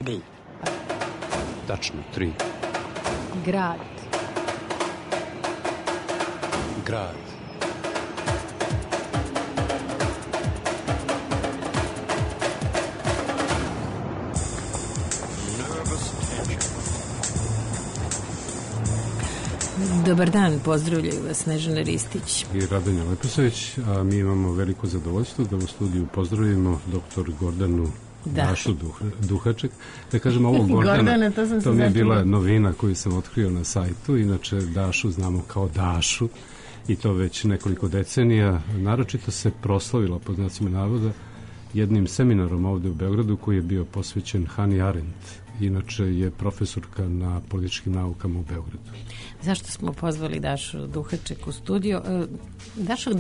3. Tačno, 3. Grad. Grad. Dobar dan, pozdravljaju vas Snežana Ristić i Radanja Leposavić, a mi imamo veliko zadovoljstvo da u studiju pozdravimo dr. Gordanu Dašu Duhaček. Da kažem ovo Gordana, to mi je bila novina koju sam otkrio na sajtu. Inače Dašu znamo kao Dašu i to već nekoliko decenija. Naročito se proslavila, po znacima navoda, jednim seminarom ovde u Beogradu koji je bio posvećen Hannah Arendt. Inače je profesorka na političkim naukama u Beogradu. Zašto smo pozvali Dašu Duhaček u studiju? Dašo,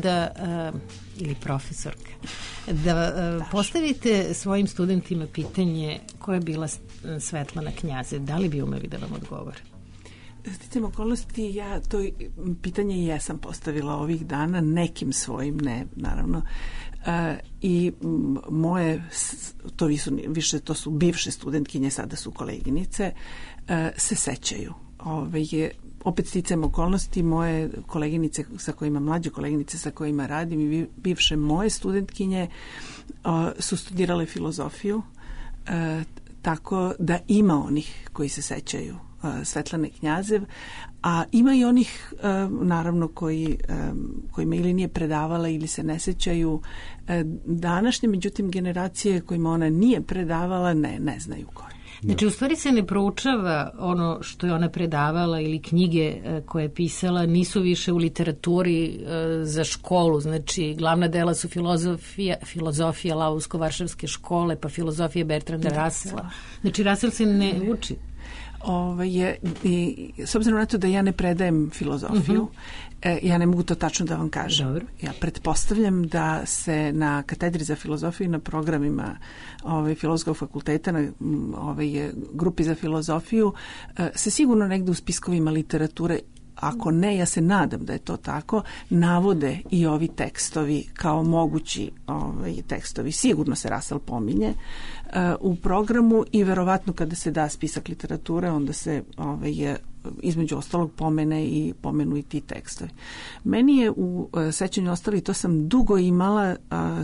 ili profesorka, da postavite svojim studentima pitanje koja je bila Svetlana Knjazev. Da li bi umeli da vam odgovore? Sticam okolnosti, ja to pitanje jesam postavila ovih dana, nekim svojim, ne, naravno. I moje, to su bivše studentkinje, sada su koleginice, se sećaju. Opet sticajem okolnosti, moje koleginice sa kojima, mlađe koleginice sa kojima radim i bivše moje studentkinje su studirale filozofiju, tako da ima onih koji se sećaju Svetlane Knjazev, a ima i onih naravno kojima ili nije predavala ili se ne sećaju. Današnje, međutim, generacije kojima ona nije predavala ne znaju koje. Znači, u stvari se ne proučava ono što je ona predavala ili knjige koje je pisala, nisu više u literaturi za školu. Znači, glavna dela su filozofija Lausko-Varšavske škole, pa filozofija Bertranda Russella. Znači, Russell se ne uči. S obzirom na to da ja ne predajem filozofiju, ja ne mogu to tačno da vam kažem. Dobro. Ja pretpostavljam da se na katedri za filozofiju, na programima Filozofskog fakulteta, na grupi za filozofiju, se sigurno negde u spiskovima literature, ako ne, ja se nadam da je to tako, navode i ovi tekstovi kao mogući tekstovi. Sigurno se Russell pominje u programu i verovatno kada se da spisak literature, onda se između ostalog pomenu i ti tekstovi. Meni je u sećanju ostalo, i to sam dugo imala,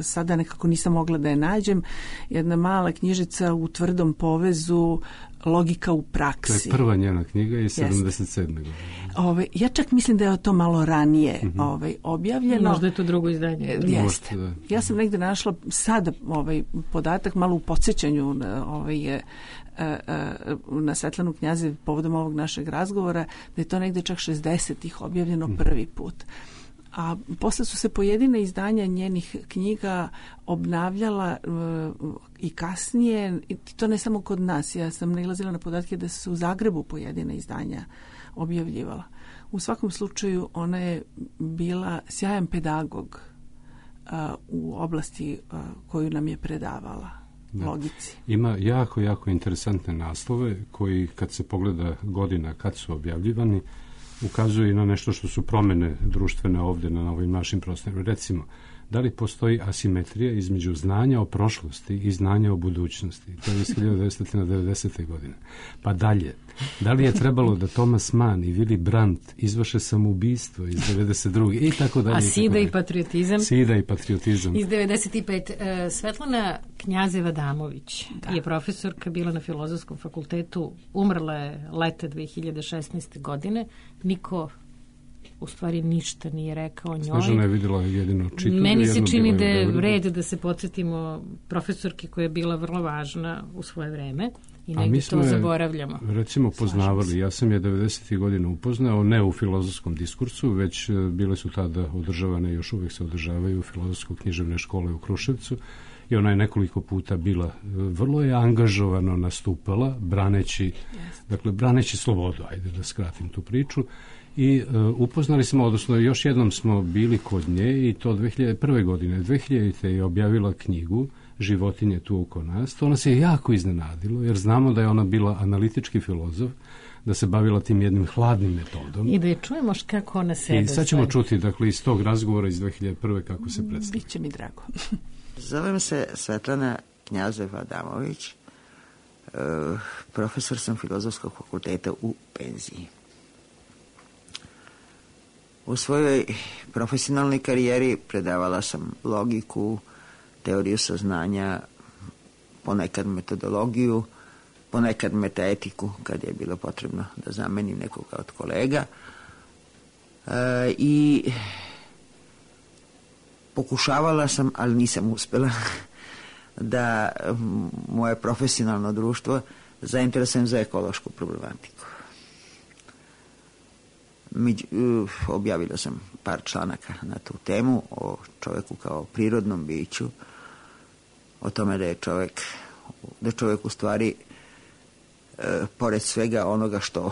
sada nekako nisam mogla da je nađem, jedna mala knjižica u tvrdom povezu Logika u praksi. To je prva njena knjiga iz 77. godine. Ja čak mislim da je to malo ranije objavljeno. Možda je to drugo izdanje. Jeste. Ja sam negde našla sada podatak malo u podsjećanju na Svetlanu Knjazev povodom ovog našeg razgovora, da je to negde čak 60-ih objavljeno prvi put. A posle su se pojedine izdanja njenih knjiga obnavljala i kasnije, i to ne samo kod nas. Ja sam nailazila na podatke da su u Zagrebu pojedine izdanja objavljivala. U svakom slučaju ona je bila sjajan pedagog u oblasti koju nam je predavala. Logici. Ima jako, jako interesantne naslove koji, kad se pogleda godina kad su objavljivani, ukazuje i na nešto što su promene društvene ovde na ovim našim prostorima. Recimo, da li postoji asimetrija između znanja o prošlosti i znanja o budućnosti? To je iz 1990. godine. Pa dalje, da li je trebalo da Thomas Mann i Willy Brandt izvrše samoubistvo iz 92. i tako dalje. A Sida i patriotizam? Sida i patriotizam. Iz 95. Svetlana Knjazeva Damović je profesorka, bila na Filozofskom fakultetu, umrla je leta 2016. godine. Niko u stvari ništa nije rekao o njoj. Snežana je vidjela jedino čitu. Meni se čini da je red da se podsjetimo profesorke koja je bila vrlo važna u svoje vreme i negdje to zaboravljamo. Recimo poznavali, ja sam je 90. godina upoznao, ne u filozofskom diskursu, već bile su tada održavane, još uvijek se održavaju filozofsko-književne škole u Kruševcu i ona je nekoliko puta bila, vrlo je angažovano nastupala, braneći slobodu, ajde da skratim tu priču. I upoznali smo, odnosno još jednom smo bili kod nje i to 2001. godine. 2000. je objavila knjigu Životinje tu oko nas. To nas je jako iznenadilo, jer znamo da je ona bila analitički filozof, da se bavila tim jednim hladnim metodom. I da je čujemo kako ona sebe. I sad ćemo čuti, dakle, iz tog razgovora iz 2001. kako se predstavlja. Biće mi drago. Zovem se Svetlana Knjazeva Damović. profesor sam Filozofskog fakulteta u penziji. U svojoj profesionalnoj karijeri predavala sam logiku, teoriju saznanja, ponekad metodologiju, ponekad metaetiku kad je bilo potrebno da zamenim nekoga od kolega. I pokušavala sam, ali nisam uspela, da moje profesionalno društvo zainteresujem za ekološku problematiku. Objavila sam par članaka na tu temu o čoveku kao prirodnom biću, o tome da je čovek u stvari pored svega onoga što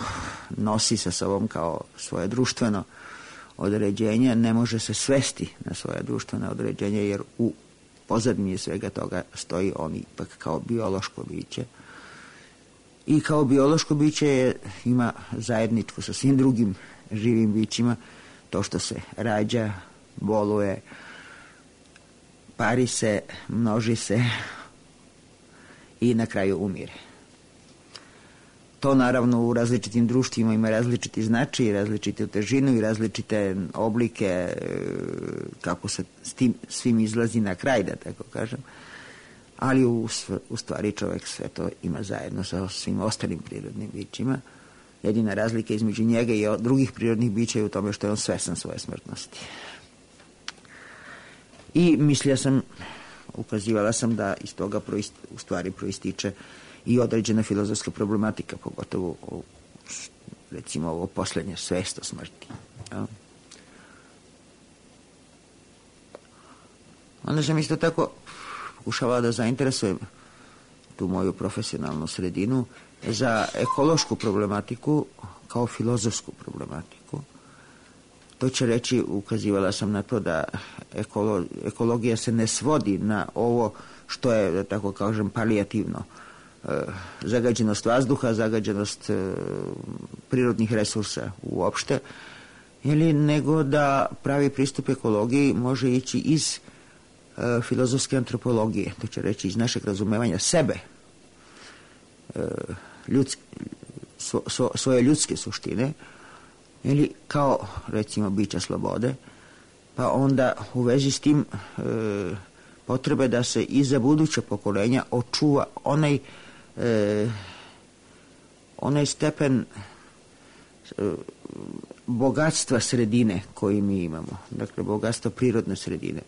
nosi sa sobom kao svoje društveno određenje, ne može se svesti na svoje društveno određenje, jer u pozadini svega toga stoji on ipak kao biološko biće. I kao biološko biće ima zajedničko sa svim drugim živim bićima to što se rađa, boluje, pari se, množi se i na kraju umire. To naravno u različitim društvima ima različiti značaj, različite težinu i različite oblike kako se s tim svim izlazi na kraj, da tako kažem. Ali u stvari čovjek sve to ima zajedno sa svim ostalim prirodnim bićima. Jedina razlika između njega i drugih prirodnih bića je u tome što je on svestan svoje smrtnosti. I ukazivala sam da iz toga u stvari proističe i određena filozofska problematika, pogotovo recimo ovo poslednje, svest o smrti. Ja. Onda sam isto tako pokušavala da zainteresujem tu moju profesionalnu sredinu za ekološku problematiku kao filozofsku problematiku. To će reći, ukazivala sam na to da ekologija se ne svodi na ovo što je, da tako kažem, palijativno. Zagađenost vazduha, zagađenost prirodnih resursa uopšte, nego da pravi pristup ekologiji može ići iz filozofske antropologije, to će reći iz našeg razumevanja sebe, svoje ljudske suštine, kao recimo bića slobode, pa onda u vezi s tim potrebe da se i za buduća pokolenja očuva onaj stepen bogatstva sredine koji mi imamo, dakle bogatstva prirodne sredine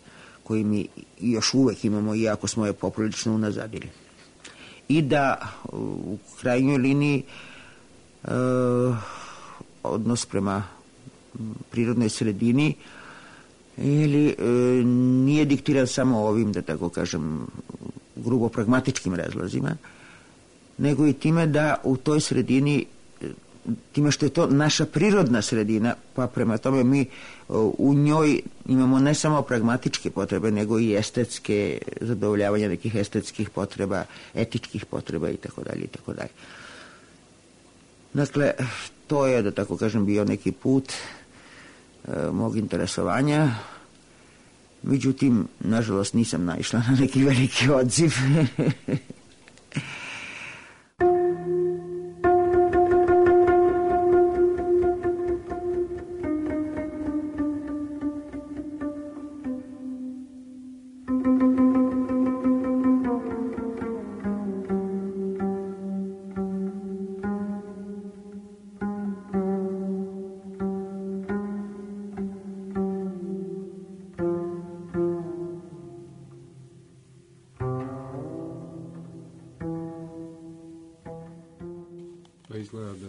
koji mi još uvek imamo, iako smo je poprilično unazadili. I da u krajnjoj liniji odnos prema prirodnoj sredini nije diktiran samo ovim, da tako kažem, grubo pragmatičkim razlozima, nego i time da u toj sredini, time što je to naša prirodna sredina, pa prema tome mi u njoj imamo ne samo pragmatičke potrebe, nego i estetske, zadovoljavanja nekih estetskih potreba, etičkih potreba itd. itd. Dakle, to je, da tako kažem, bio neki put mog interesovanja. Međutim, nažalost, nisam naišla na neki veliki odziv.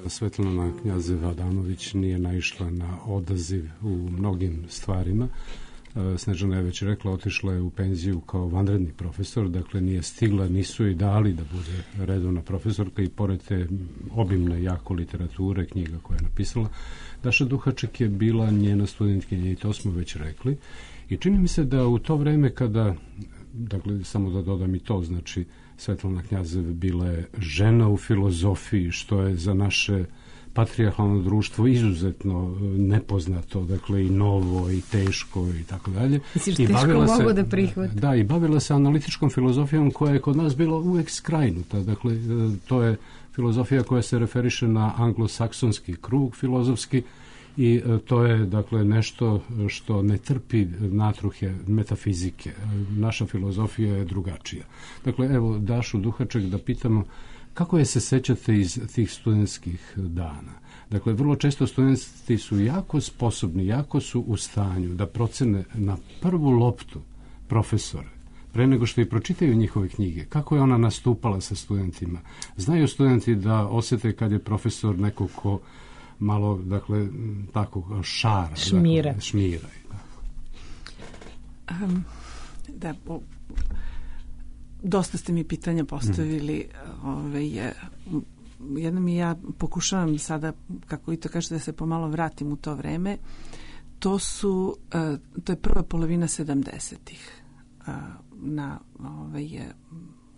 Svetlana Knjazev-Adamović nije naišla na odaziv u mnogim stvarima. Snežana je već rekla, otišla je u penziju kao vanredni profesor, dakle nije stigla, nisu i dali da bude redovna profesorka i pored te obimne jako literature, knjiga koje je napisala, Daša Duhaček je bila njena studentkinja i to smo već rekli. I čini mi se da u to vreme kada, dakle samo da dodam i to, znači Svetlana Knjazev bila je žena u filozofiji, što je za naše patrijarhalno društvo izuzetno nepoznato, dakle i novo i teško i tako dalje. Misliš, teško mogu da prihvati? Da, i bavila se analitičkom filozofijom koja je kod nas bila uvek skrajnuta. Dakle, to je filozofija koja se referiše na anglosaksonski krug filozofski i to je, dakle, nešto što ne trpi natruhe metafizike. Naša filozofija je drugačija. Dakle, evo, Dašu Duhaček da pitamo kako je se sećate iz tih studentskih dana? Dakle, vrlo često studenti su jako sposobni, jako su u stanju da procene na prvu loptu profesore, pre nego što i pročitaju njihove knjige, kako je ona nastupala sa studentima. Znaju studenti da osete kad je profesor neko ko malo, dakle, tako šara. Šmira. Dakle, šmira. Da, dosta ste mi pitanja postavili. Jednom i ja pokušavam sada, kako i to kažete, da se pomalo vratim u to vreme. To je prva polovina 70-ih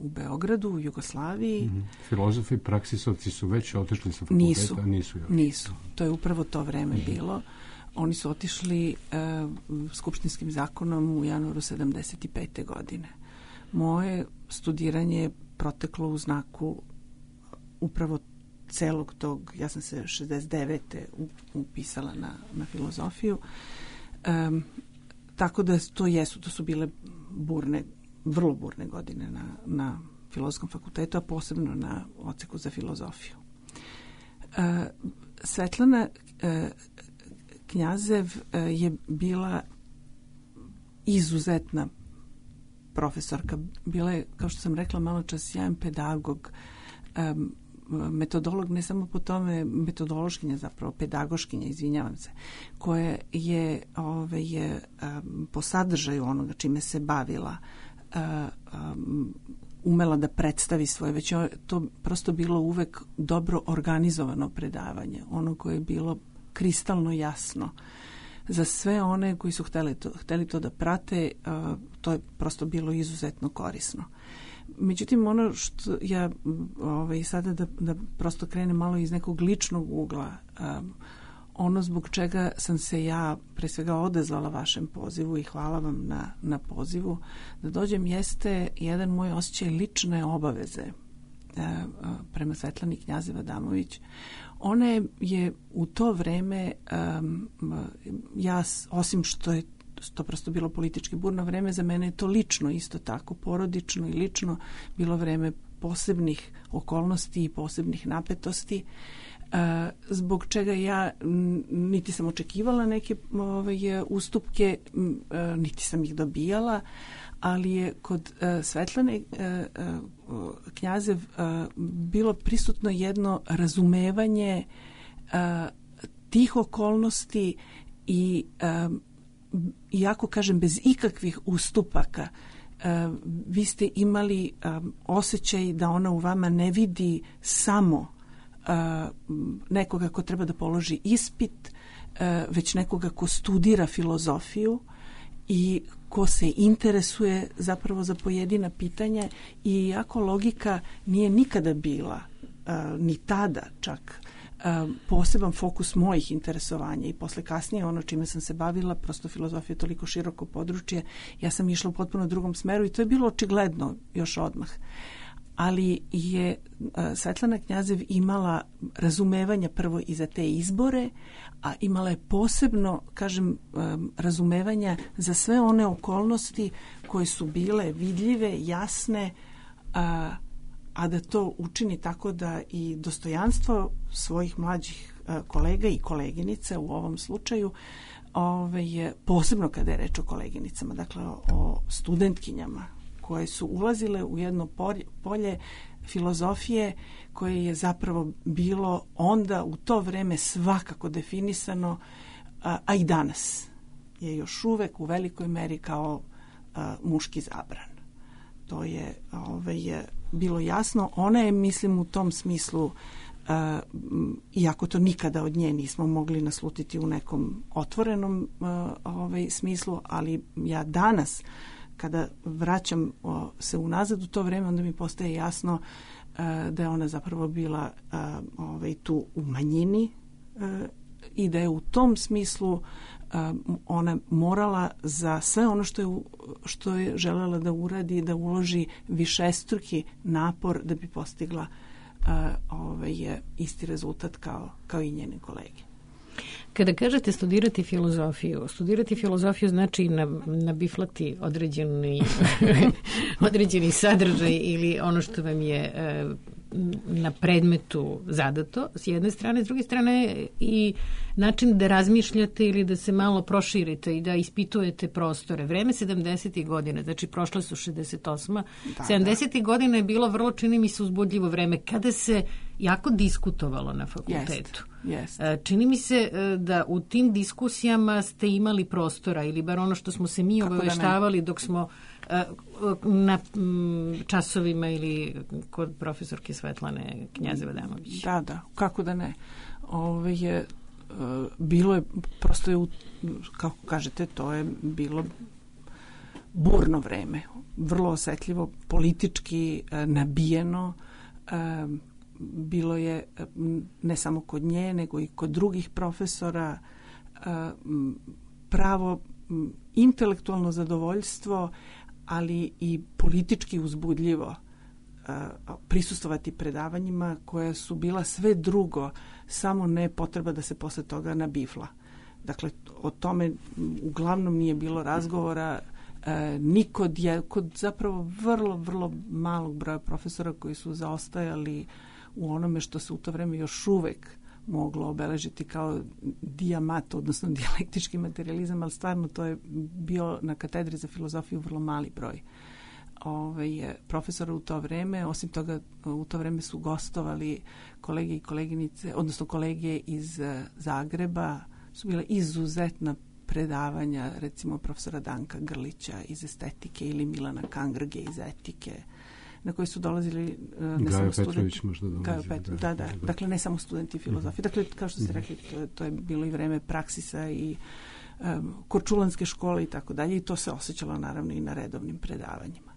u Beogradu, u Jugoslaviji. Filozofi, praksisovci su već otišli sa fakulteta? Nisu. To je upravo to vreme bilo. Oni su otišli skupštinskim zakonom u januaru 75. godine. Moje studiranje je proteklo u znaku upravo celog tog, ja sam se 69. upisala na filozofiju. Tako da to su bile vrlo burne godine na Filozofskom fakultetu, a posebno na odseku za filozofiju. Svetlana Knjazev je bila izuzetna profesorka. Bila je, kao što sam rekla malo čas, sjajan pedagog, metodolog, ne samo po tome, metodološkinja, zapravo pedagoškinja, izvinjavam se, koja je po sadržaju onoga čime se bavila umela da predstavi svoje, već je to prosto bilo uvek dobro organizovano predavanje, ono koje je bilo kristalno jasno za sve one koji su hteli to da prate. To je prosto bilo izuzetno korisno. Međutim, ono što ja sada da prosto krenem malo iz nekog ličnog ugla, ono zbog čega sam se ja pre svega odazvala vašem pozivu i hvala vam na pozivu da dođem, jeste jedan moj osjećaj lične obaveze prema Svetlani Knjazev Adamović. Ona je u to vreme, ja osim što je to prosto bilo politički burno vreme, za mene je to lično isto tako, porodično i lično bilo vreme posebnih okolnosti i posebnih napetosti, zbog čega ja niti sam očekivala neke ustupke, niti sam ih dobijala, ali je kod Svetlane Knjazev bilo prisutno jedno razumevanje tih okolnosti i iako kažem bez ikakvih ustupaka, vi ste imali osjećaj da ona u vama ne vidi samo nekoga ko treba da položi ispit, već nekoga ko studira filozofiju i ko se interesuje zapravo za pojedina pitanja, i iako logika nije nikada bila, ni tada čak, poseban fokus mojih interesovanja i posle kasnije ono čime sam se bavila, prosto filozofija je toliko široko područje, ja sam išla u potpuno drugom smeru i to je bilo očigledno još odmah. Ali je Svetlana Knjazev imala razumevanja prvo i za te izbore, a imala je posebno, kažem, razumevanja za sve one okolnosti koje su bile vidljive, jasne, a da to učini tako da i dostojanstvo svojih mlađih kolega i koleginica u ovom slučaju, posebno kada je reč o koleginicama, dakle o studentkinjama koje su ulazile u jedno polje filozofije koje je zapravo bilo onda u to vreme svakako definisano, a i danas je još uvek u velikoj meri kao muški zabran. To je bilo jasno. Ona je, mislim, u tom smislu, iako to nikada od nje nismo mogli naslutiti u nekom otvorenom smislu, ali ja danas kada vraćam se unazad u to vreme, onda mi postaje jasno da je ona zapravo bila tu u manjini i da je u tom smislu ona morala za sve ono što je želela da uradi, da uloži višestruki napor da bi postigla isti rezultat kao i njene kolege. Kada kažete studirati filozofiju znači nabiflati određeni sadržaj ili ono što vam je na predmetu zadato, s jedne strane, s druge strane i način da razmišljate ili da se malo proširite i da ispitujete prostore. Vreme 70. godina, znači prošle su 68. 70. godina je bilo vrlo, čini mi se, uzbudljivo vreme kada se jako diskutovalo na fakultetu. Čini mi se da u tim diskusijama ste imali prostora ili bar ono što smo se mi obaveštavali dok smo na časovima ili kod profesorke Svetlane Knjazeva-Damović. Da, kako da ne. Bilo je, prosto je, kako kažete, to je bilo burno vreme, vrlo osetljivo, politički nabijeno, bilo je ne samo kod nje, nego i kod drugih profesora, pravo intelektualno zadovoljstvo, ali i politički uzbudljivo prisustvovati predavanjima koja su bila sve drugo, samo ne potreba da se posle toga nabifla. Dakle, o tome uglavnom nije bilo razgovora, ni kod zapravo vrlo, vrlo malog broja profesora koji su zaostajali u onome što se u to vreme još uvek moglo obeležiti kao dijamat, odnosno dijalektički materijalizam, ali stvarno to je bio na katedri za filozofiju vrlo mali broj profesora u to vreme. Osim toga, u to vreme su gostovali kolege i koleginice, odnosno kolege iz Zagreba, su bila izuzetna predavanja, recimo profesora Danka Grlića iz estetike ili Milana Kangrge iz etike, na koji su dolazili ne samo studenti. Da. Dakle, ne samo studenti filozofije. Dakle, kao što ste rekli, to je bilo i vreme praksisa i korčulanske škole i tako dalje, i to se osjećalo naravno i na redovnim predavanjima.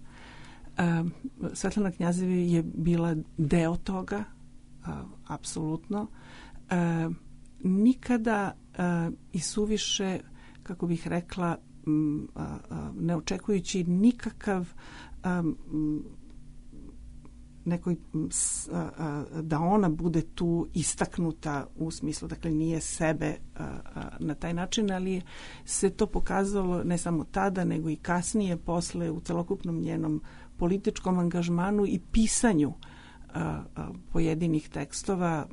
Svetlana Knjazeva je bila deo toga, apsolutno. Nikada i suviše, kako bih rekla, ne očekujući nikakav nekoj da ona bude tu istaknuta u smislu, dakle nije sebe na taj način, ali se to pokazalo ne samo tada, nego i kasnije, posle, u celokupnom njenom političkom angažmanu i pisanju pojedinih tekstova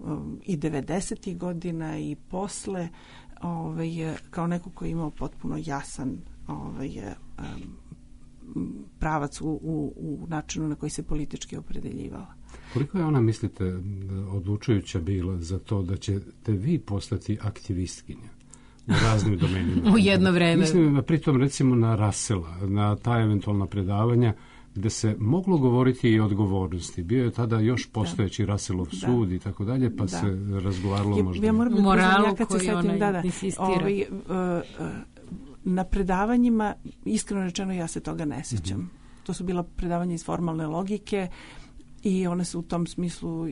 i 90. godina i posle, kao neko koji je imao potpuno jasan pravac u načinu na koji se politički opredeljivala. Koliko je ona, mislite, odlučujuća bila za to da ćete vi postati aktivistkinja u raznim domenima? U jedno vreme. Mislim, pritom recimo na Russella, na ta eventualna predavanja gde se moglo govoriti i o odgovornosti. Bio je tada još postojeći Russellov sud i tako dalje, pa se razgovaralo možda. Ja moram moralu koju ona insistira. Na predavanjima, iskreno rečeno, ja se toga ne sjećam. To su bila predavanja iz formalne logike i one su u tom smislu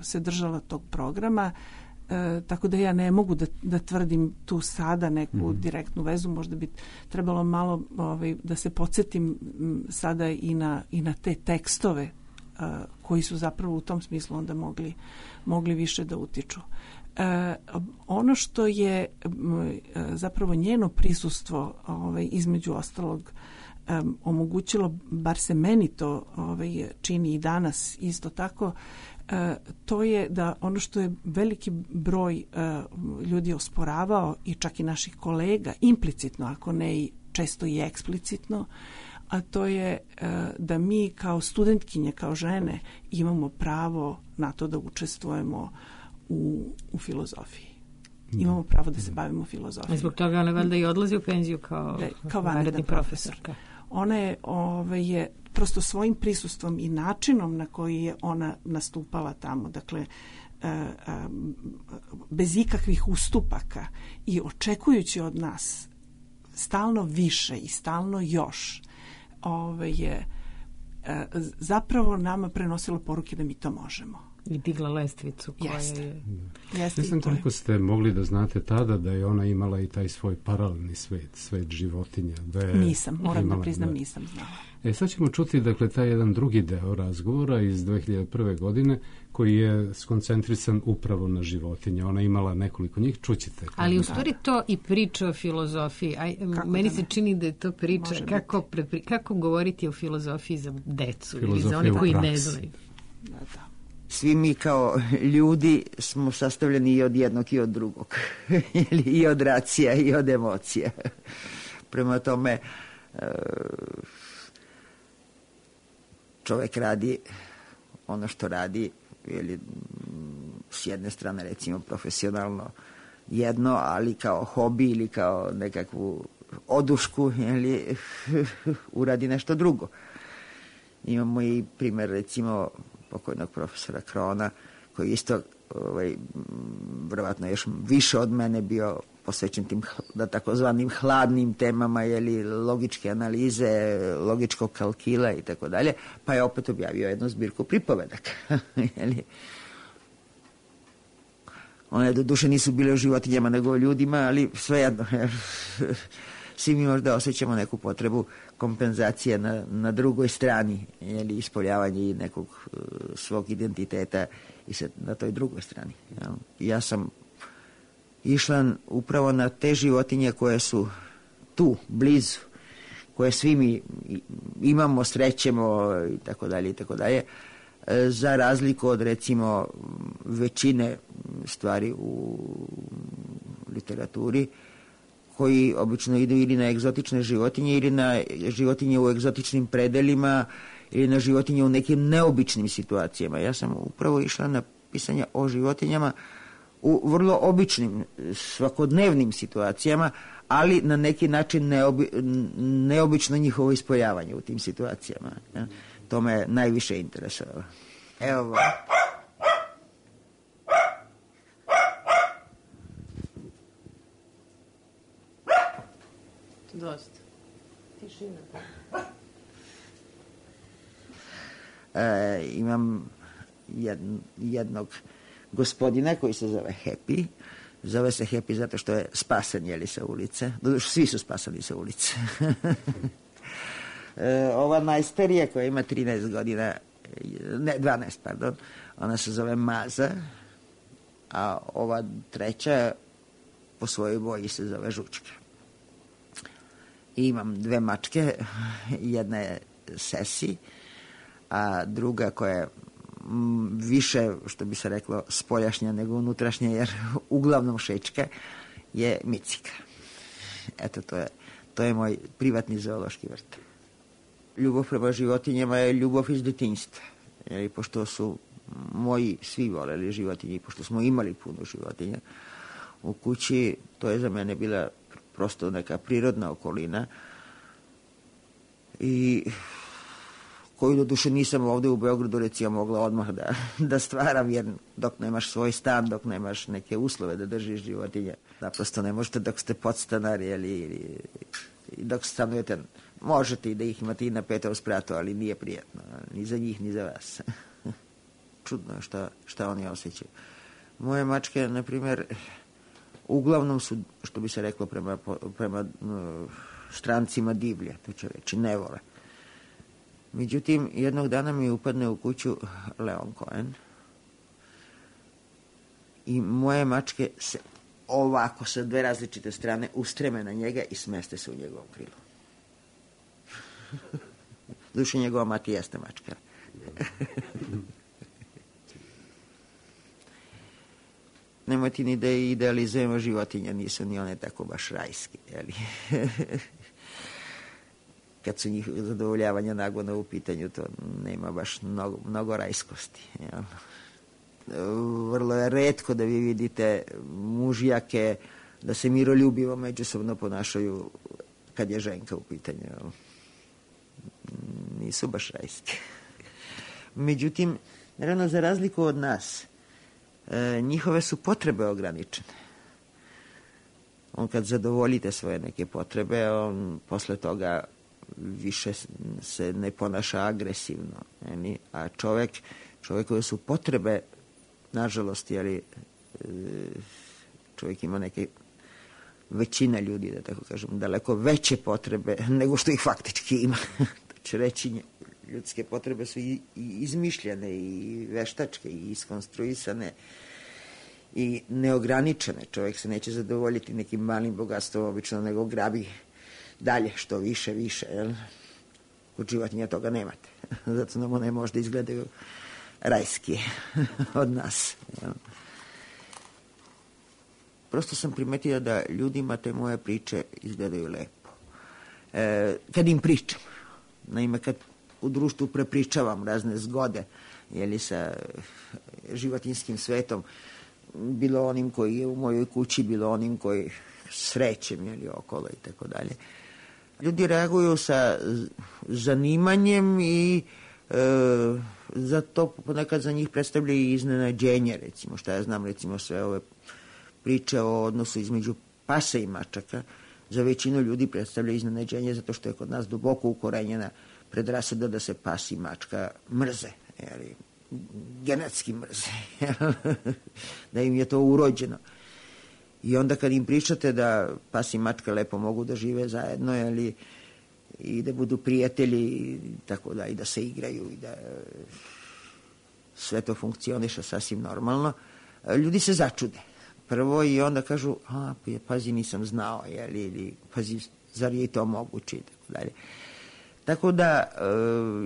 se držala tog programa, tako da ja ne mogu da tvrdim tu sada neku direktnu vezu. Možda bi trebalo malo da se podsjetim sada i na te tekstove koji su zapravo u tom smislu onda mogli više da utiču. Ono što je zapravo njeno prisustvo između ostalog omogućilo, bar se meni to čini i danas isto tako, to je da ono što je veliki broj ljudi osporavao i čak i naših kolega implicitno, ako ne i često i eksplicitno, a to je da mi kao studentkinje, kao žene imamo pravo na to da učestvujemo u filozofiji. Imamo pravo da se bavimo filozofijom. Zbog toga ona valjda i odlazi u penziju kao vanredni profesorka. Ona je prosto svojim prisustvom i načinom na koji je ona nastupala tamo, dakle bez ikakvih ustupaka i očekujući od nas stalno više i stalno još, zapravo nama prenosila poruke da mi to možemo. I digla lestvicu koja je... Jeste. Ne znam koliko ste mogli da znate tada da je ona imala i taj svoj paralelni svet životinja. Nisam, moram da priznam, nisam znala. Sad ćemo čuti, dakle, taj jedan drugi deo razgovora iz 2001. godine koji je skoncentrisan upravo na životinje. Ona imala nekoliko njih, čućete. Ali u stvari to i priča o filozofiji. Meni se čini da je to priča kako govoriti o filozofiji za decu ili za one koji ne znaju. Da. Svi mi kao ljudi smo sastavljeni i od jednog i od drugog. I od racija i od emocija. Prema tome, čovjek radi ono što radi, ili s jedne strane recimo profesionalno jedno, ali kao hobi ili kao nekakvu odušku, ili uradi nešto drugo. Imamo i primjer recimo pokojnog profesora Krona, koji isto vjerovatno još više od mene bio posvećen tim da takozvanim hladnim temama, jeli, logičke analize, logičkog kalkila i tako dalje, pa je opet objavio jednu zbirku pripovedaka. One doduše nisu bile o životinjama nego o ljudima, ali svejedno. Svi mi možda osjećamo neku potrebu kompenzacije na drugoj strani, jeli, ispoljavanje nekog svog identiteta i na toj drugoj strani. Ja sam išla upravo na te životinje koje su tu, blizu, koje svi mi imamo, srećemo i tako dalje, za razliku od recimo većine stvari u literaturi, koji obično idu ili na egzotične životinje ili na životinje u egzotičnim predelima ili na životinje u nekim neobičnim situacijama. Ja sam upravo išla na pisanje o životinjama u vrlo običnim, svakodnevnim situacijama, ali na neki način neobično njihovo ispoljavanje u tim situacijama. Ja. To me najviše interesovalo. Evo. Dosta. Tišina. Imam jednog gospodina koji se zove Happy. Zove se Happy zato što je spasan, jeli, sa ulice. Doduše, svi su spasani sa ulice. Ova najstarija koja ima 13 godina, ne, 12, pardon, ona se zove Maza, a ova treća po svojoj boji se zove Žučka. I imam dve mačke, jedna je Sesi, a druga koja je više, što bi se reklo, spoljašnja nego unutrašnja, jer uglavnom šečka, je Micika. Eto, to je moj privatni zoološki vrt. Ljubav prema životinjama je ljubav iz detinjstva. Jer pošto su moji svi voleli životinje, pošto smo imali puno životinja u kući, to je za mene bila prosto neka prirodna okolina i koju doduše nisam ovdje u Beogradu recimo mogla odmah da stvaram, jer dok nemaš svoj stan, dok nemaš neke uslove da držiš životinje, naprosto ne možete dok ste podstanari ili dok stanujete, možete i da ih imate i na 5. spratu, ali nije prijetno, ni za njih, ni za vas. Čudno je šta oni osjećaju. Moje mačke, na primjer, uglavnom su, što bi se reklo prema strancima, divlje, to će reći, ne vole. Međutim, jednog dana mi upadne u kuću Leon Cohen i moje mačke se ovako sa dve različite strane ustreme na njega i smeste se u njegovom krilu. Duše, njegova mati jeste mačka. Nemojte ni da idealizujemo životinje, nisu ni one tako baš rajske, jeli? Kad su njih zadovoljavanja nagona u pitanju, to nema baš mnogo rajskosti. Jel? Vrlo je retko da vi vidite mužjake da se miroljubivo međusobno ponašaju kad je ženka u pitanju. Jel? Nisu baš rajske. Međutim, naravno, za razliku od nas, njihove su potrebe ograničene. On kad zadovoljite svoje neke potrebe, on posle toga više se ne ponaša agresivno. A čovjekove su potrebe, nažalost, čovjek ima neke, većina ljudi, da tako kažem, daleko veće potrebe nego što ih faktički ima. To će reći, ljudske potrebe su i izmišljene, i veštačke, i iskonstruisane, i neograničene. Čovjek se neće zadovoljiti nekim malim bogatstvom obično, nego grabi dalje, što više, jel? Kod životinja toga nemate. Zato nam one možda izgledaju rajski od nas. Jel? Prosto sam primetio da ljudima te moje priče izgledaju lepo. Kad im pričam, naime, kad u društvu prepričavam razne zgode, sa životinjskim svetom, bilo onim koji je u mojoj kući, bilo onim koji srećem, okolo i tako dalje. Ljudi reaguju sa zanimanjem i zato ponekad za njih predstavlja i iznenađenje, recimo, šta ja znam, recimo sve ove priče o odnosu između pasa i mačaka, za većinu ljudi predstavlja iznenađenje zato što je kod nas duboko ukorenjena predrasuda da se pas i mačka mrze, genetski mrze, da im je to urođeno. I onda kad im pričate da pas i mačka lepo mogu da žive zajedno, i da budu prijatelji, i tako da, i da se igraju, i da sve to funkcioniše sasvim normalno, ljudi se začude. Prvo, i onda kažu, pazi, nisam znao, ili pazi, zar je i to moguće, i tako dalje. Tako da,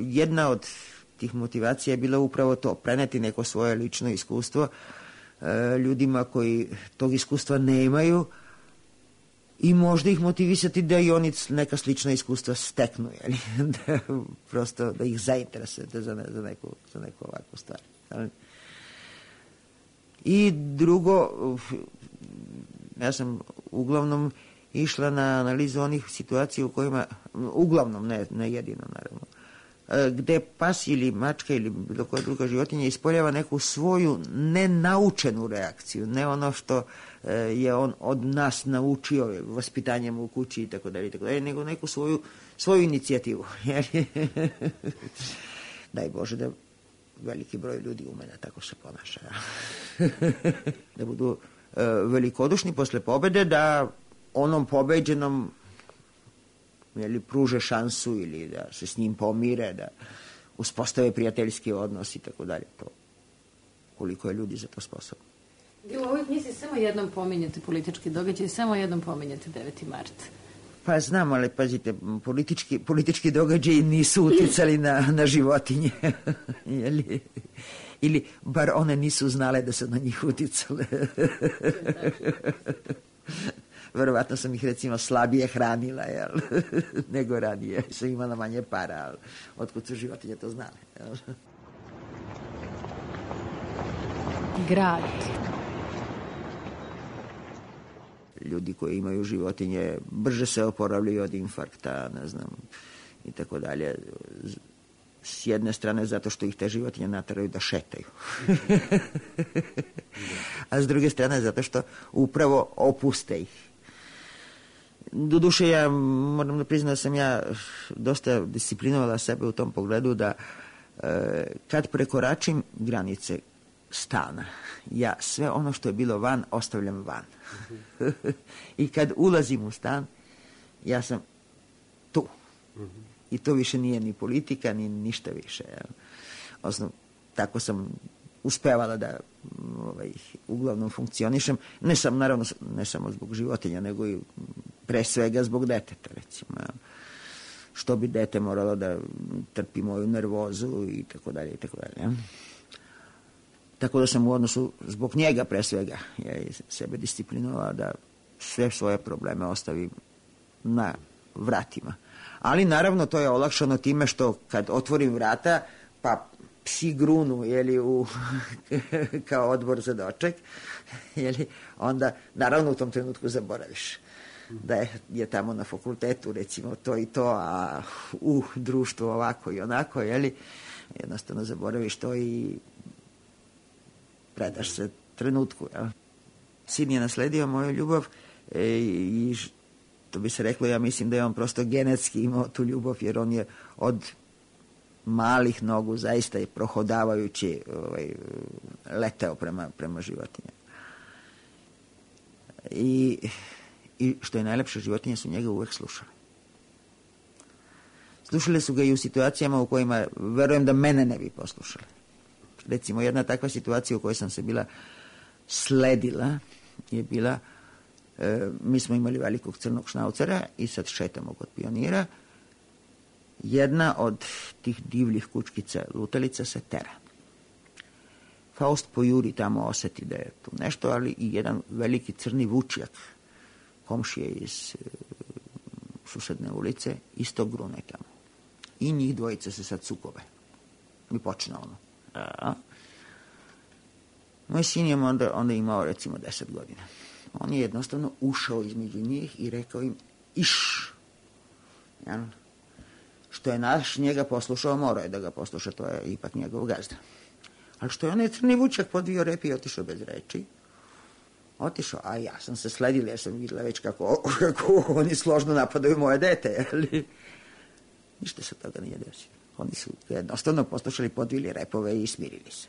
jedna od tih motivacija je bila upravo to, preneti neko svoje lično iskustvo ljudima koji tog iskustva nemaju i možda ih motivisati da i oni neka slična iskustva steknu, da prosto da ih zainteresujete za neku ovakvu stvar. I drugo, ja sam uglavnom išla na analizu onih situacija u kojima, uglavnom, ne jedino naravno, gde pas ili mačka ili bilo koja druga životinja ispoljava neku svoju nenaučenu reakciju, ne ono što je on od nas naučio vaspitanjem u kući i tako dalje, nego neku svoju inicijativu. Daj Bože da veliki broj ljudi ume da tako se ponaša. Da budu velikodušni posle pobede, da onom pobeđenom pruže šansu ili da se s njim pomire, da uspostave prijateljski odnos i tako dalje. To, koliko je ljudi za to sposobno. U ovoj knjizi samo jednom pominjate politički događaj, samo jednom pominjate 9. mart. Pa znam, ali pazite, politički događaji nisu uticali na životinje. Ili bar one nisu znale da su na njih uticale. Verovatno sam ih, recimo, slabije hranila, nego ranije. Sam imala manje para, ali otkud su životinje to znale. Grad. Ljudi koji imaju životinje brže se oporavljaju od infarkta, ne znam, i tako dalje. S jedne strane zato što ih te životinje nateraju da šetaju. A s druge strane zato što upravo opuste ih. Doduše, ja moram da priznam da sam ja dosta disciplinovala sebe u tom pogledu da kad prekoračim granice stana, ja sve ono što je bilo van ostavljam van. I kad ulazim u stan, ja sam tu. I to više nije ni politika, ni ništa više. Osnovno, tako sam uspevala da uglavnom funkcionišem. Naravno, ne samo zbog životinja, nego i pre svega zbog deteta, recimo. Što bi dete moralo da trpi moju nervozu i tako dalje, i tako dalje. Tako da sam u odnosu zbog njega pre svega sebe disciplinovala da sve svoje probleme ostavim na vratima. Ali naravno to je olakšano time što kad otvorim vrata pa psi grunu kao odbor za doček, onda naravno u tom trenutku zaboraviš da je tamo na fakultetu recimo to i to, a u društvu ovako i onako, jednostavno zaboraviš to i predaš se trenutku. Sin je nasledio moju ljubav i što bi se reklo, ja mislim da je on prosto genetski imao tu ljubav, jer on je od malih nogu zaista je prohodavajući leteo prema životinjama. I što je najlepše, životinje su njega uvek slušale. Slušale su ga i u situacijama u kojima verujem da mene ne bi poslušale. Recimo, jedna takva situacija u kojoj sam se bila sledila je bila, mi smo imali velikog crnog šnaucera i sad šetamo kod Pionira. Jedna od tih divljih kučkica lutalica se tera. Faust pojuri tamo, oseti da je tu nešto, ali i jedan veliki crni vučjak, komšije iz susedne ulice, isto grune tamo. I njih dvojica se sad sukobe. I počne ono. Moj sin je onda imao recimo 10 godina. On je jednostavno ušao između njih i rekao im iš. Što je naš njega poslušao, morao je da ga posluša, to je ipak njegov gazda. Ali što je onaj crni vučak podvio rep i otišao bez reči, otišao, a ja sam se sledila, jer sam videla već kako oni složno napadaju moje dete, ali ništa se toga nije desilo. Oni su jednostavno poslušali, podvili repove i smirili se.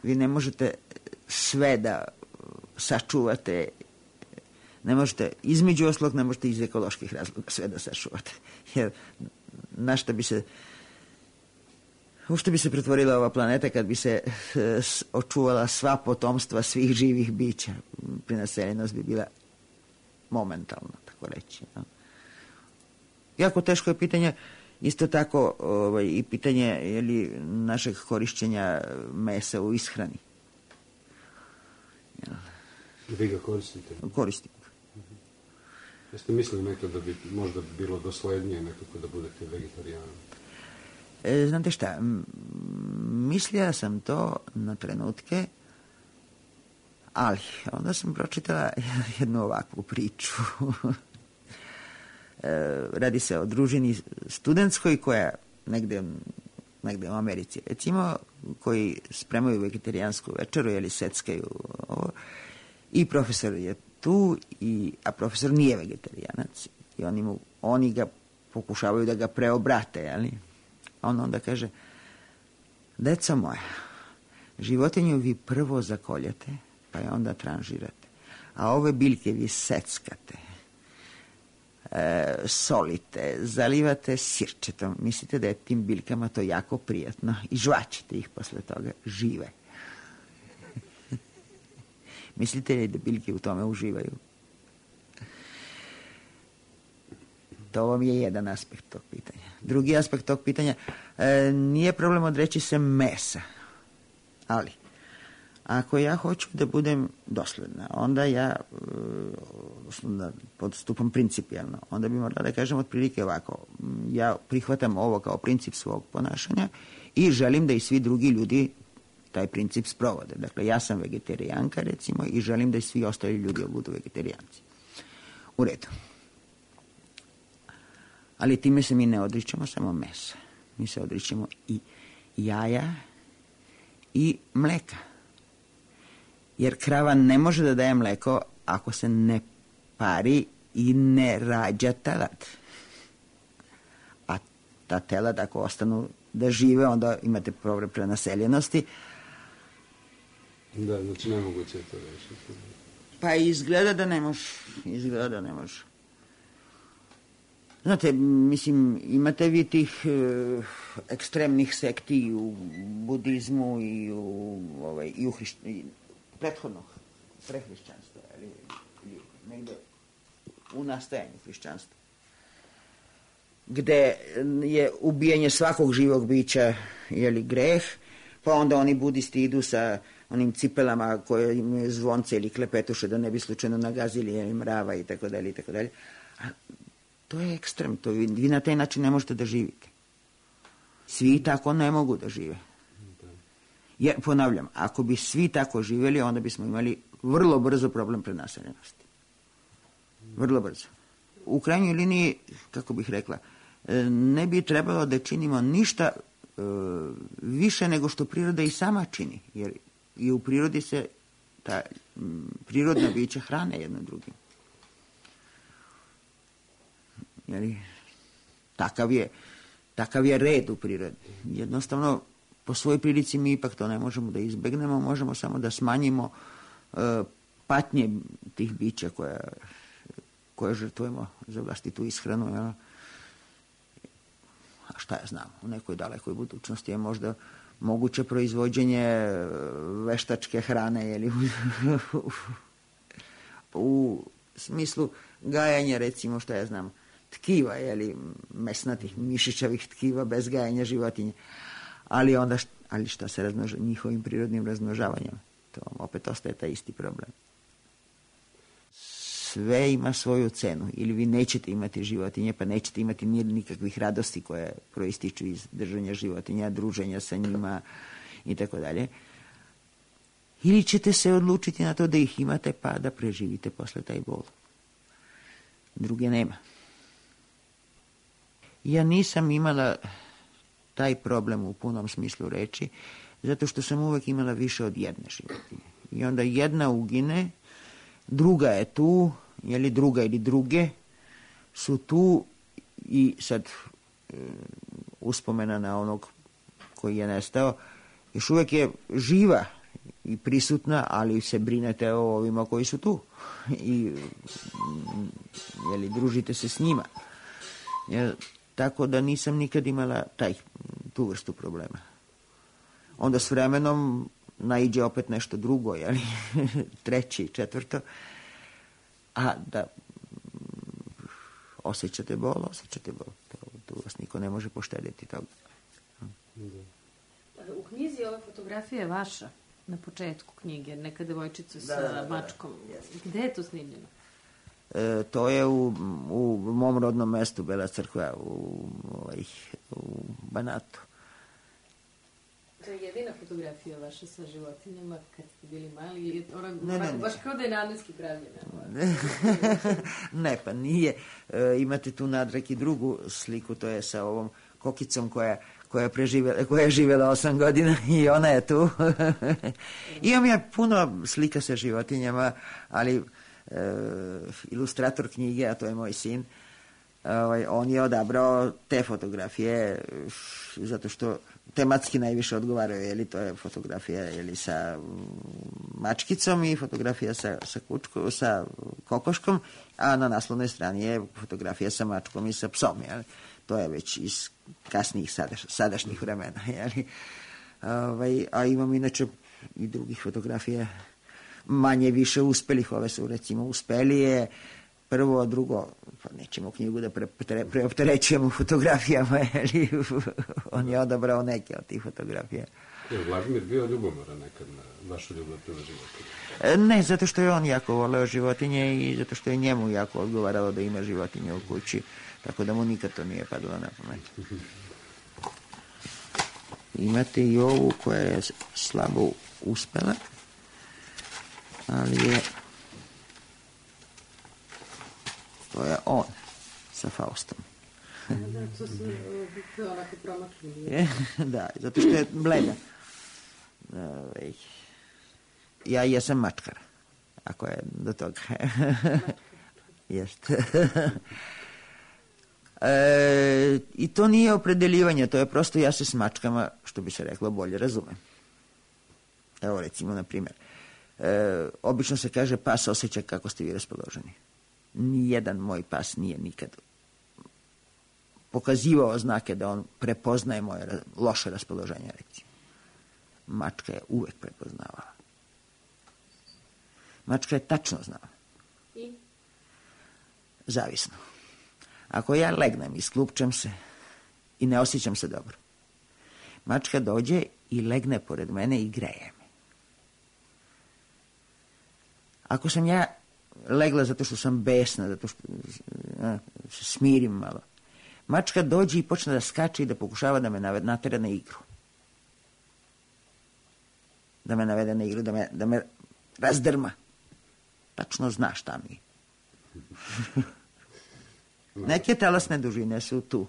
Vi ne možete sve da sačuvate, ne možete, između oslog, ne možete iz ekoloških razloga sve da sačuvate. Jer na šta bi se, u što bi se pretvorila ova planeta kad bi se očuvala sva potomstva svih živih bića? Prenaseljenost bi bila momentalno, tako reći. No? Jako teško je pitanje, isto tako i pitanje našeg korišćenja mesa u ishrani. Vi ga koristite? Koristim. Jeste mislili nekad da bi možda bilo doslednije nekako da budete vegetarijanom? Znate šta, mislila sam to na trenutke, ali onda sam pročitala jednu ovakvu priču. Radi se o družini studentskoj koja negde u Americi, recimo, koji spremaju vegetarijansku večeru, seckaju ovo, i profesor je tu, a profesor nije vegetarijanac i oni ga pokušavaju da ga preobrate, a on onda kaže: deco moja, životinju vi prvo zakoljete, pa je onda tranžirate, a ove biljke vi seckate, solite, zalivate sirčetom, mislite da je tim biljkama to jako prijatno i žvaćete ih posle toga žive. Mislite li da biljke u tome uživaju? To vam je jedan aspekt tog pitanja. Drugi aspekt tog pitanja, nije problem odreći se mesa, ali ako ja hoću da budem dosledna, onda ja podstupam principijalno, onda bi morala da kažem otprilike ovako: ja prihvatam ovo kao princip svog ponašanja i želim da i svi drugi ljudi taj princip sprovode. Dakle, ja sam vegetarijanka, recimo, i želim da i svi ostali ljudi budu vegetarijanci. U redu. Ali time se mi ne odričemo samo mesa. Mi se odričemo i jaja i mleka. Jer krava ne može da daje mleko ako se ne pari i ne rađa telad. A ta telad, ako ostanu da žive, onda imate problem prenaseljenosti. Da, znači nemoguće je to rešiti. Pa izgleda da ne može. Znate, mislim, imate vi tih ekstremnih sekti u budizmu i u prethodnog prehrišćanstva, ili negde u nastajanju hrišćanstva, gde je ubijanje svakog živog bića greh, pa onda oni budisti idu sa onim cipelama koje imaju zvonce ili klepetuše da ne bi slučajno nagazili mrava i tako dalje i tako dalje. A to je ekstrem, vi na taj način ne možete da živite. Svi tako ne mogu da žive. Jer, ponavljam, ako bi svi tako živjeli, onda bismo imali vrlo brzo problem prenaseljenosti. Vrlo brzo. U krajnjoj liniji, kako bih rekla, ne bi trebalo da činimo ništa više nego što priroda i sama čini, jer i u prirodi se ta prirodna bića hrane jedno drugim. Jeli, takav je red u prirodi. Jednostavno, po svojoj prilici mi ipak to ne možemo da izbegnemo, možemo samo da smanjimo patnje tih bića koje žrtvujemo za vlastitu ishranu. Jel? A šta ja znam, u nekoj dalekoj budućnosti je možda moguće proizvođenje veštačke hrane, jeli, u smislu gajanja, recimo, šta ja znam, tkiva, jeli, mesnatih, mišićavih tkiva bez gajanja životinje. Ali onda, šta se njihovim prirodnim razmnožavanjem? To opet ostaje taj isti problem. Sve ima svoju cenu. Ili vi nećete imati životinje, pa nećete imati nikakvih radosti koje proističu iz držanja životinja, druženja sa njima i tako dalje. Ili ćete se odlučiti na to da ih imate, pa da preživite posle taj bol. Druge nema. Ja nisam imala taj problem u punom smislu reči, zato što sam uvek imala više od jedne životinje. I onda jedna ugine, druga je tu, jeli druga ili druge su tu i sad uspomena na onog koji je nestao, još uvek je živa i prisutna, ali se brinete o ovima koji su tu i jeli, družite se s njima. Tako da nisam nikad imala tu vrstu problema. Onda s vremenom naiđe opet nešto drugo, jeli, treće i četvrto, a da osjećate bol. Tu vas niko ne može poštedjeti toga. U knjizi ova fotografija je vaša, na početku knjige, neka devojčica sa mačkom. Gde je to snimljeno? To je u mom rodnom mestu, Bela Crkva, u Banatu. To je jedina fotografija vaša sa životinjama kad ste bili mali? Baš kao da je namenski pravljena. Ne, pa nije. Imate tu nadrag i drugu sliku, to je sa ovom kokicom koja je živjela 8 godina i ona je tu. Imam ja puno slika sa životinjama, ali ilustrator knjige, a to je moj sin, on je odabrao te fotografije zato što tematski najviše odgovaraju, jeli, to je fotografija, jeli, sa mačkicom i fotografija sa kokoškom, a na naslovnoj strani je fotografija sa mačkom i sa psom, jeli. To je već iz kasnijih sadašnjih vremena, jeli. A imam inače i drugih fotografija manje više uspelih. Ove su recimo uspelije, prvo, drugo, pa nećemo knjigu da preopterećujemo fotografijama, jeli, on je odabrao neke od tih fotografija. Je Vladimir bio ljubomoran nekad na vašu ljubav prema životinje? Ne, zato što je on jako voleo životinje i zato što je njemu jako odgovaralo da ima životinje u kući, tako da mu nikad to nije padalo na pamet. Imate i ovu koja je slabo uspela, ali to je on sa Faustom. To je onako promakli. Da, zato što je bleda. Ja jesam mačkar, ako je do toga. Jeste. I to nije opredeljivanje, to je prosto ja se s mačkama, što bi se reklo, bolje razumem. Evo recimo, na primjer, obično se kaže pas osjeća kako ste vi raspoloženi. Nijedan moj pas nije nikad pokazivao znake da on prepoznaje moje loše raspoloženje, recimo. Mačka je uvek prepoznavala. Mačka je tačno znala. I? Zavisno. Ako ja legnem i sklupčem se i ne osjećam se dobro, mačka dođe i legne pored mene i greje me. Ako sam ja legla zato što sam besna, zato što se smirim malo, mačka dođe i počne da skače i da pokušava da me natera na igru. Da me navede na igru, da me razdrma. Tačno zna šta mi. Neke telesne dužine su tu.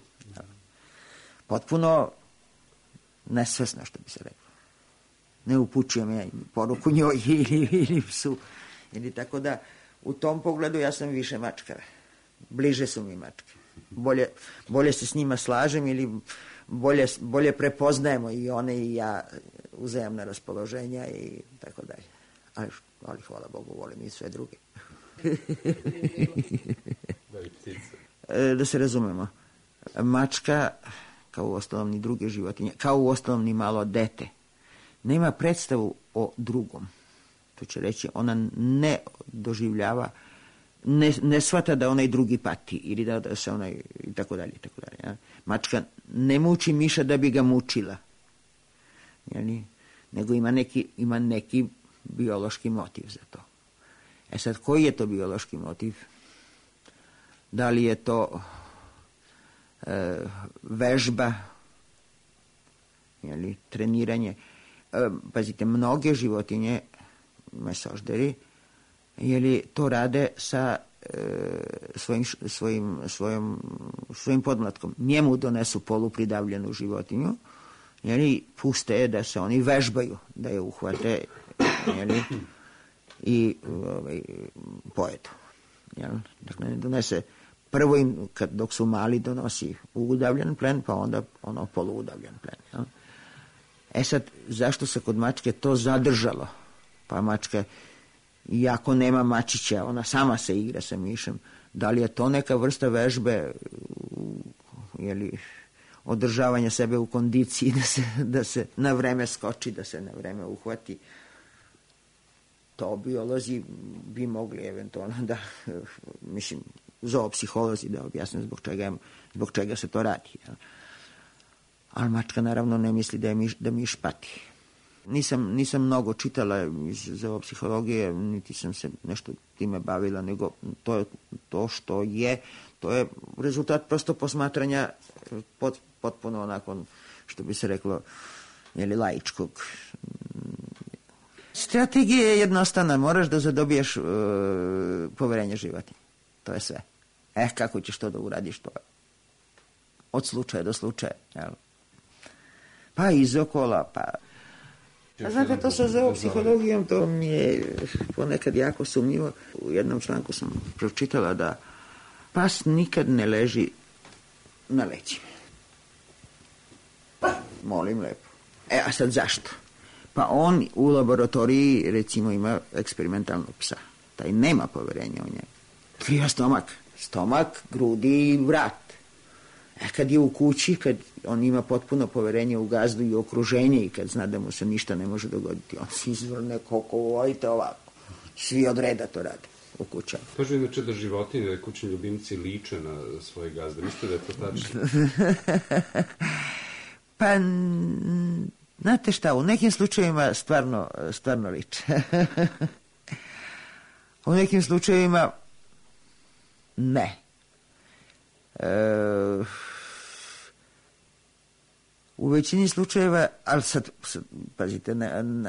Potpuno nesvesno, što bi se reklo. Ne upućujem ja poruku njoj ili psu. Ili tako da, u tom pogledu ja sam više mačkara. Bliže su mi mačke. bolje se s njima slažem ili bolje prepoznajemo i one i ja uzajamna raspoloženja i tako dalje. Ali hvala Bogu, volim i sve druge. Da se razumemo. Mačka, kao u ostalom ni druge životinje, kao u ostalom ni malo dete, nema predstavu o drugom. To će reći, ona ne doživljava, ne shvata da onaj drugi pati ili da se onaj i tako dalje. Ja? Mačka ne muči miša da bi ga mučila. Jeli? Nego ima neki biološki motiv za to. Sad, koji je to biološki motiv? Da li je to vežba, jeli, treniranje? Pazite, mnoge životinje, mesožderi, jeli, to rade sa svojim podmlatkom. Njemu donesu polupridavljenu životinju, jeli, puste je da se oni vežbaju, da je uhvate, jeli, i pojedu. Jel? Dakle, ne donese prvo im, dok su mali, donosi udavljen plen, pa onda poluudavljen plen. Jel? Sad, zašto se kod mačke to zadržalo? Pa mačka, iako nema mačića, ona sama se igra sa mišem. Da li je to neka vrsta vežbe, jeli, održavanja sebe u kondiciji, da se na vreme skoči, da se na vreme uhvati? To biolozi bi mogli eventualno da, mislim, zoopsiholozi da objasne zbog čega se to radi. Jel? Ali mačka naravno ne misli da miš pati. Nisam mnogo čitala iz zoopsihologije, niti sam se nešto time bavila, nego to što je, to je rezultat prosto posmatranja potpuno onako, što bi se reklo, jeli, laičkog. Strategija je jednostavna, moraš da zadobiješ poverenje životinje. To je sve. Kako ćeš to da uradiš, to je od slučaja do slučaja. Jel? Pa iz okola, pa... A znate, to sa zoopsihologijom, to mi je ponekad jako sumnjivo. U jednom članku sam pročitala da pas nikad ne leži na leđima. Molim lepo. A sad zašto? Pa on u laboratoriji, recimo, ima eksperimentalnog psa. Taj nema poverenja u njega. Kriva stomak, grudi i vrat. Kad je u kući, kad on ima potpuno poverenje u gazdu i okruženje i kad zna da mu se ništa ne može dogoditi, on se izvrne koliko volite ovako. Svi od reda to rade u kućama. Kažu inače da životinje, da kućni ljubimci liče na svoje gazde. Mislite da je to tačno? Pa, znate šta, u nekim slučajevima stvarno liče. U nekim slučajevima ne. U većini slučajeva, ali sad pazite,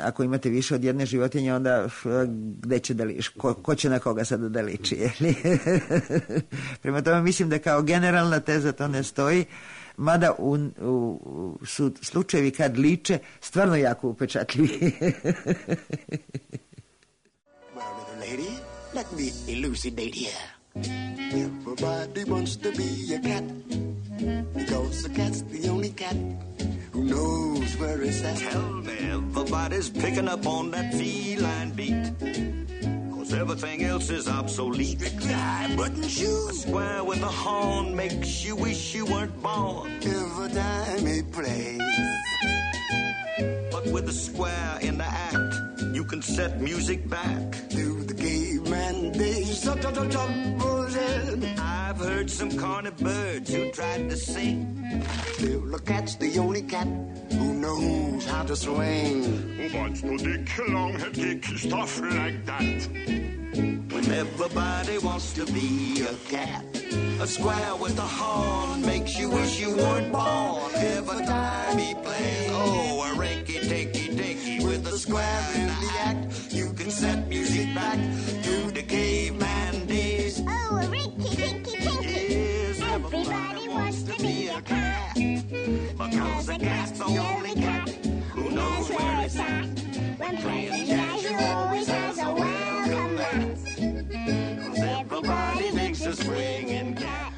ako imate više od jedne životinje, onda gde će da liči, ko će na koga sad da liči, jeli? Prema tome mislim da kao generalna teza to ne stoji, mada su slučajevi kad liče stvarno jako upečatljivi. Well, little lady, let me elucidate here. Everybody wants to be a cat, because a cat's the only cat who knows where it's at. Tell me, everybody's picking up on that feline beat, cause everything else is obsolete. Strictly high button shoes, A square with a horn makes you wish you weren't born. every time it plays. But with a square in the act, you can set music back. Through the caveman days, I've heard some corny birds who tried to sing. still a cat's the only cat who knows how to swing. What's no dick, long-head kick, stuff like that. When everybody wants to be a cat, a square with a horn makes you wish you weren't born. Every time he plays, oh, a rinky-tinky-tinky with a square in the act, you can set music back to the caveman days. Oh, a rinky-dinky-tinky. Yes, Everybody wants to be a cat, because a cat's the only cat who knows where it's at. When playing jazz, you always has a welcome mat. Cause everybody thinks a swinging cat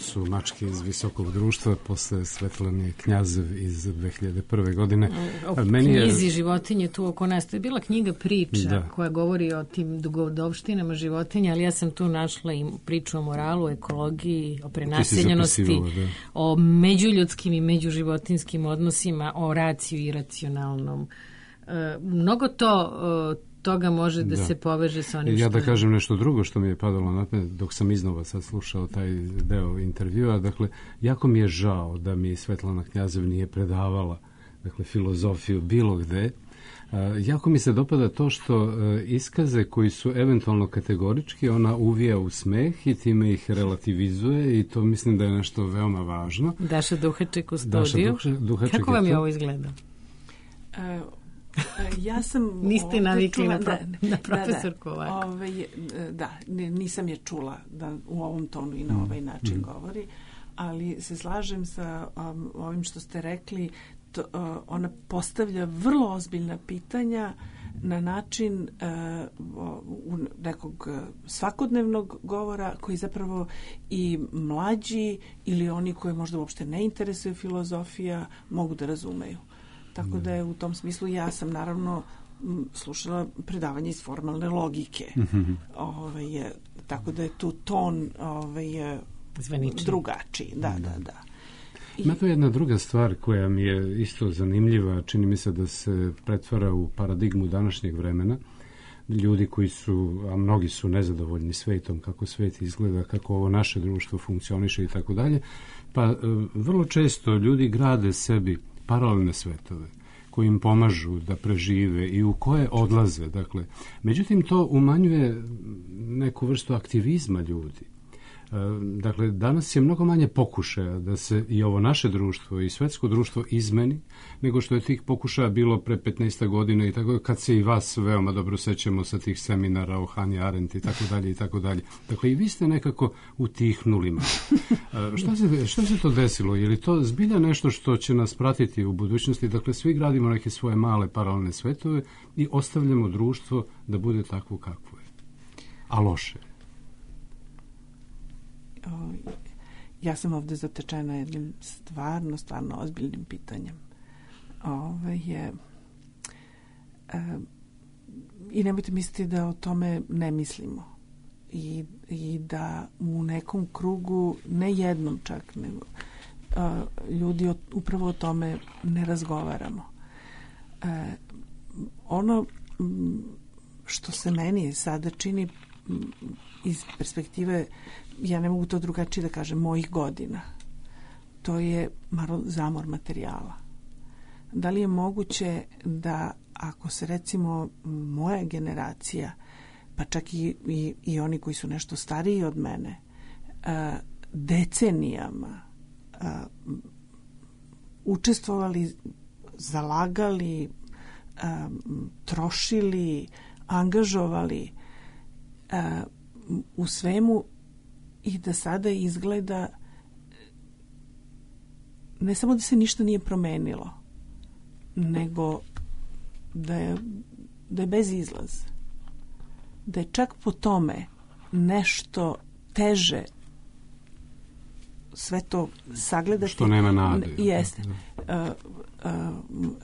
su Mačke iz visokog društva posle Svetlane Knjazev iz 2001. godine. O knjizi životinje tu oko nas. To je bila knjiga priča koja govori o tim dugodovštinama životinja, ali ja sam tu našla i priču o moralu, ekologiji, o prenaseljenosti, o međuljudskim i međuživotinskim odnosima, o raciju i racionalnom. Mnogo toga može da se poveže sa onim što... Ja da kažem nešto drugo što mi je padalo na pamet dok sam iznova sad slušao taj deo intervjua. Dakle, jako mi je žao da mi Svetlana Knjazev nije predavala filozofiju bilo gde. Jako mi se dopada to što iskaze koji su eventualno kategorički, ona uvija u smeh i time ih relativizuje i to mislim da je nešto veoma važno. Daša Duhaček u studiju. Kako vam je ovo izgledalo? Ja sam... Niste navikli na profesorku ovako. Nisam je čula da u ovom tonu i na ovaj način govori, ali se slažem sa ovim što ste rekli. Ona postavlja vrlo ozbiljna pitanja na način nekog svakodnevnog govora koji zapravo i mlađi ili oni koji možda uopšte ne interesuje filozofija mogu da razumeju. Tako da je u tom smislu ja sam naravno slušala predavanje iz formalne logike. Tako da je tu ton drugačiji. Da. Ima to jedna druga stvar koja mi je isto zanimljiva, čini mi se da se pretvara u paradigmu današnjeg vremena. Ljudi koji su, a mnogi su nezadovoljni svetom, kako svet izgleda, kako ovo naše društvo funkcioniše i tako dalje, pa vrlo često ljudi grade sebi paralelne svetove koji im pomažu da prežive i u koje odlaze. Dakle, međutim, to umanjuje neku vrstu aktivizma ljudi. Dakle, danas je mnogo manje pokušaja da se i ovo naše društvo i svetsko društvo izmeni, nego što je tih pokušaja bilo pre 15 godina i tako, kad se i vas veoma dobro sećamo sa tih seminara o Hannah Arendt i tako dalje i tako dalje. Dakle, i vi ste nekako utihnuli malo. Što se to desilo? Je li to zbilja nešto što će nas pratiti u budućnosti? Dakle, svi gradimo neke svoje male paralelne svetove i ostavljamo društvo da bude takvo kakvo je. A loše. Ja sam ovde zatečena jednim stvarno ozbiljnim pitanjem. I nemojte misliti da o tome ne mislimo. I da u nekom krugu, ne jednom čak, nego ljudi upravo o tome ne razgovaramo. Ono što se meni sada čini iz perspektive, ja ne mogu to drugačije da kažem, mojih godina, to je zamor materijala. Da li je moguće da ako se recimo moja generacija, pa čak i oni koji su nešto stariji od mene, decenijama učestvovali, zalagali, trošili, angažovali u svemu i da sada izgleda ne samo da se ništa nije promenilo, nego da je bez izlaza. Da je čak po tome nešto teže sve to sagledati. Što nema nade. Jeste.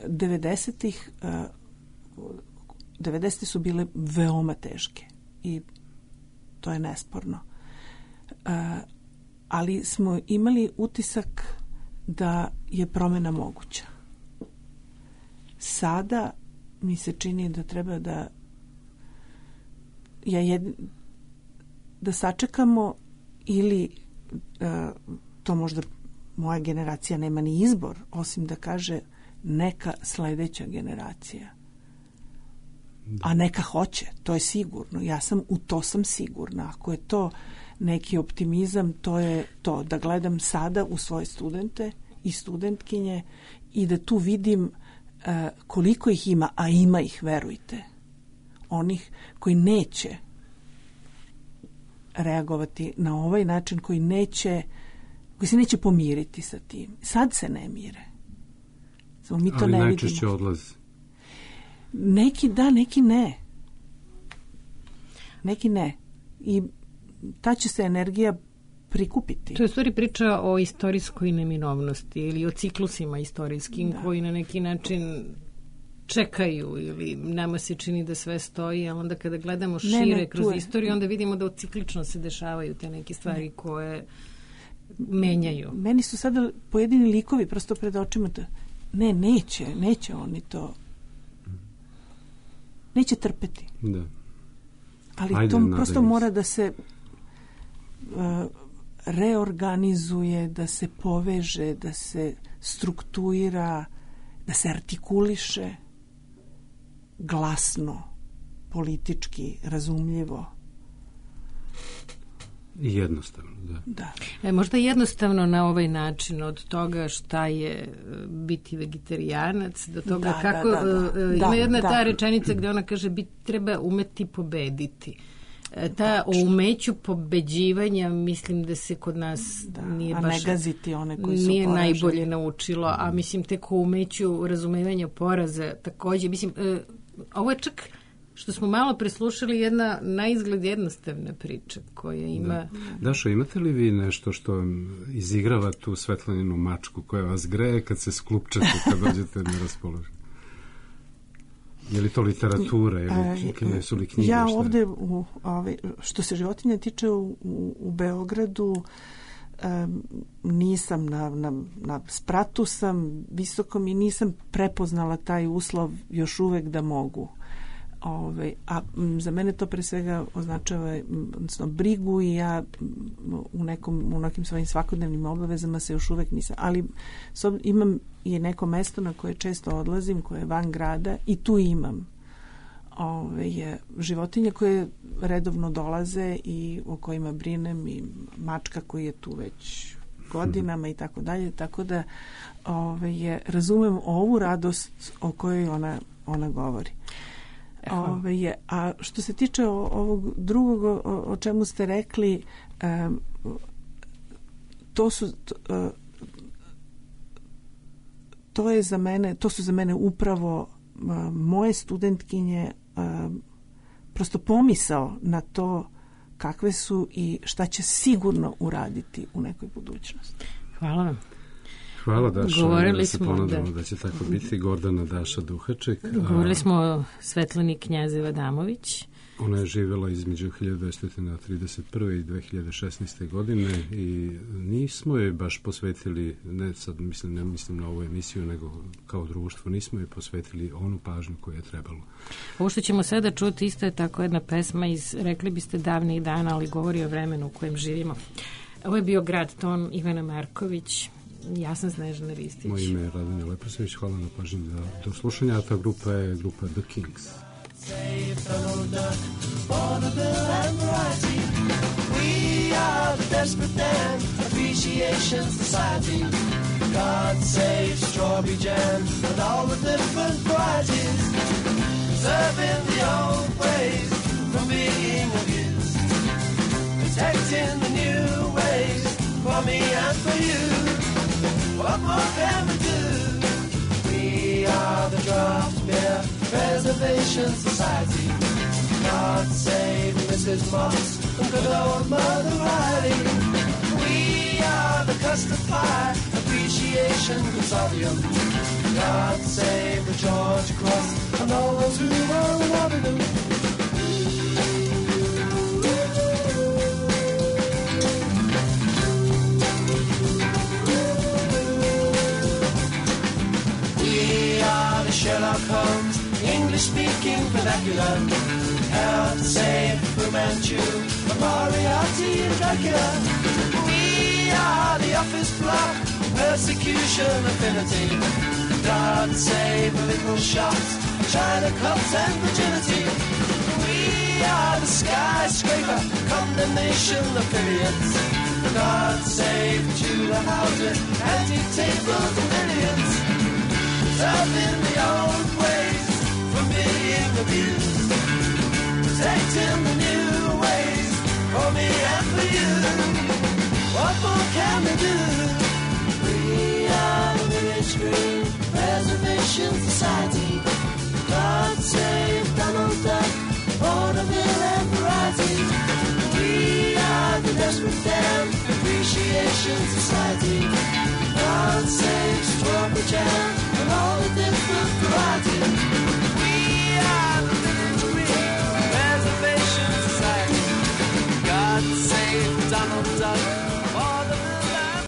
90. su bile veoma teške i to je nesporno. Ali smo imali utisak da je promena moguća. Sada mi se čini da treba da sačekamo ili to možda moja generacija nema ni izbor, osim da kaže neka sledeća generacija. A neka hoće, to je sigurno. U to sam sigurna. Ako je to neki optimizam, to je to. Da gledam sada u svoje studente i studentkinje i da tu vidim koliko ih ima, a ima ih, verujte. Onih koji neće reagovati na ovaj način, koji se neće pomiriti sa tim. Sad se ne mire. Samo mi to ali ne vidimo. Ali najčešće odlazi. Neki da, neki ne. Neki ne. I ta će se energija prikupiti. To je u stvari priča o istorijskoj neminovnosti ili o ciklusima istorijskim koji na neki način čekaju ili nama se čini da sve stoji, a onda kada gledamo šire kroz istoriju, onda vidimo da ciklično se dešavaju te neke stvari koje menjaju. Meni su sada pojedini likovi prosto pred očima neće oni to neće trpeti. Da. Ali to prosto mora da se reorganizuje, da se poveže, da se struktuira, da se artikuliše glasno, politički, razumljivo. I jednostavno, da. Možda jednostavno na ovaj način, od toga šta je biti vegetarijanac, do toga kako... Ima jedna ta rečenica gde ona kaže treba umeti pobediti. Ta o umeću pobeđivanja mislim da se kod nas nije baš... A ne gaziti one koji su nije poraženi. Najbolje naučilo, a mislim tek o umeću razumevanja poraza takođe. Mislim, ovo je čak što smo malo preslušali jedna naizgled jednostavna priča koja ima... Dašo, imate li vi nešto što izigrava tu Svetlaninu mačku koja vas greje kad se sklupčate, kad dođete na raspoloženje? Je li to literatura ili su li knjige? Ja ovde, što se životinja tiče u Beogradu, nisam na spratu sam visokom i nisam prepoznala taj uslov još uvek da mogu. A za mene to pre svega označava brigu i ja u nekim svojim svakodnevnim obavezama se još uvek nisam. Ali imam i neko mesto na koje često odlazim, koje je van grada i tu imam životinje koje redovno dolaze i o kojima brinem i mačka koji je tu već godinama i tako dalje. Tako da razumem ovu radost o kojoj ona govori. A što se tiče ovog drugog o čemu ste rekli, to su za mene upravo moje studentkinje, prosto pomisao na to kakve su i šta će sigurno uraditi u nekoj budućnosti. Hvala vam. Hvala, Daša. Govorili smo da će tako biti. Gordana Daša Duhaček. Govorili smo o Svetlani Knjazeva Damović. Ona je živjela između 1931. i 2016. godine i nismo je baš posvetili, ne mislim na ovu emisiju, nego kao društvo, nismo je posvetili onu pažnju koju je trebalo. Ovo što ćemo sada čuti isto je tako jedna pesma iz, rekli biste, davnih dana, ali govori o vremenu u kojem živimo. Ovo je bio Grad ton, Ivana Marković. Ja sam Snežana Ristić. Moje ime je Radonja Leposević. Hvala na pažnji do slušanja. A ta grupa je grupa The Kings. Save Donald Duck, Vaudeville and Variety. We are the Desperate Dan Appreciation Society. God save Strawberry Jam and all the different varieties. Serving the old ways from being abused. Protecting the new ways for me and for you. What more can we do? We are the Draft Beer Preservation Society. God save Mrs. Moss and good old Mother Riley. We are the Custard Pie Appreciation Consortium. God save the George Cross and all those who are loving them. Sherlock Holmes, English-speaking vernacular. Help save Fu Manchu, Moriarty and Dracula. We are the office block, persecution affinity. God save little shops, China cups and virginity. We are the skyscraper, condemnation affiliates. God save Tudor houses, antique tables and billions. Serving the old ways from being abused. Protecting the new ways for me and for you. What more can we do? We are the Village Green Preservation Society. God save Donald Duck, Vaudeville and Variety. We are the Desperate Dan Appreciation Society.